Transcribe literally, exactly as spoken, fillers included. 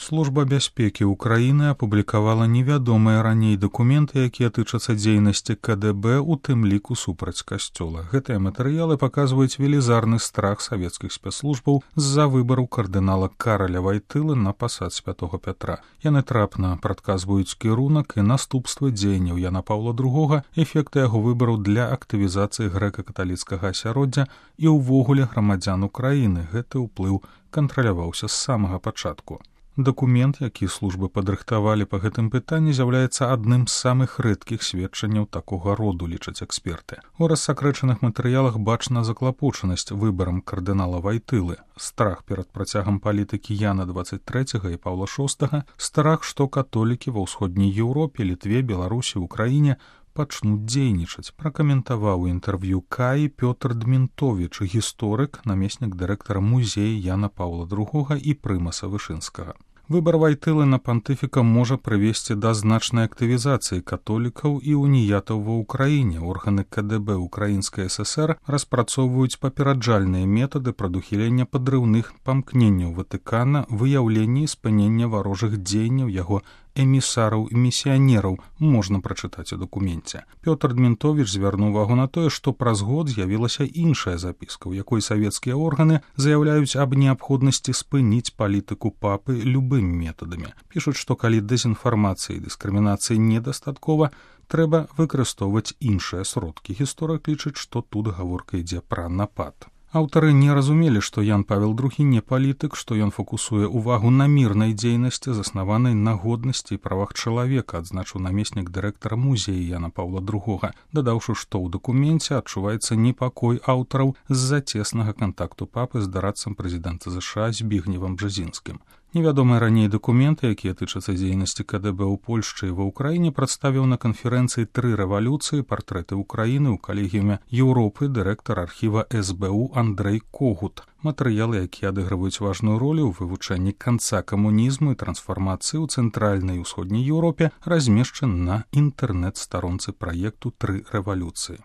Служба бяспекі Украіны апублікавала невядомыя раней дакументы, якія тычацца дзейнасці ка дэ бэ, у тым ліку супраць касцёла. Гэтыя матэрыялы паказваюць велізарны страх савецкіх спецслужбаў з-за выбару кардынала Караля Вайтылы на пасад святого Пятра. Яны трапна прадказваюць кірунак і наступствы дзеянняў Яна Паўла другога, эфекты яго выбару для актывізацыі грэка-каталіцкага асяроддзя і ўвогуле грамадзян Украіны. Гэты ўплыў кантраляваўся з самага пачатку. Дакумент, які службы падрыхтавалі па гэтым пытанні, з'яўляецца адным з самых рэдкіх сведчанняў такога роду, лічаць эксперты. У рассакрэчаных матэрыялах бачна заклапочанасць выбарам кардынала Вайтылы, страх перад працягам палітыкі Яна дваццаць трэцяга і Паўла шостага, страх, што католікі ва ўсходняй Еўропе, Літве, Беларусі, Украіне пачнуць дзейнічаць, пракаментаваў у інтэрв'ю Каі Пётр Дмінтовіч, гісторык, намеснік дырэктара музея Яна Паўла другога і прымаса Вышынскага. Выбар Вайтылы на пантыфіка можа прывесці да значнай актывізацыі католікаў і уніятаў ва ўкраіне. Органы ка дэ бэ Украінскай эс эс эр распрацоўваюць папераджальныя метады прадухілення падрыўных памкненняў Ватыкана, выяўлення і спынення варожых дзеянняў яго эмісараў і місіянераў, можна прачытаць у дакуменце. Пётр Дмінтовіч звярнуў увагу на тое, што праз год з'явілася іншая запіска, у якой савецкія органы заяўляюць аб неабходнасці спыніць палітыку папы любымі метадамі. Пішуць, што калі дэзінфармацыі і дыскрымінацыі недастаткова, трэба выкарыстоўваць іншыя сродкі. Гісторык лічыць, што тут гаворка ідзе пра напад. Аўтары не разумелі, што Ян Павел другі не палітык, што ён фокусуе ўвагу на мірнай дзейнасці, заснаванай на годнасці і правах чалавека, адзначыў намеснік дырэктара музея Яна Паўла другога, дадаўшы, што ў дакуменце адчуваецца непакой аўтараў з-за цеснага кантакту папы з дарадцам прэзідэнта зэ ша Збігневам Бжэзінскім. Невядомыя раней дакументы, якія тычацца дзейнасці ка дэ бэ ў Польшчы і ва Ўкраіне, прадставіў на канферэнцыі «Тры рэвалюцыі. Партрэты Ўкраіны» ў калегіуме Еўропы дырэктар архіва эс бэ у Андрэй Когут. Матэрыялы, якія адыгрываюць важную ролю ў вывучэнні канца камунізму і трансфармацыі ў цэнтральнай і ўсходняй Еўропе, размешчаны на інтэрнэт-старонцы праекту «Тры рэвалюцыі».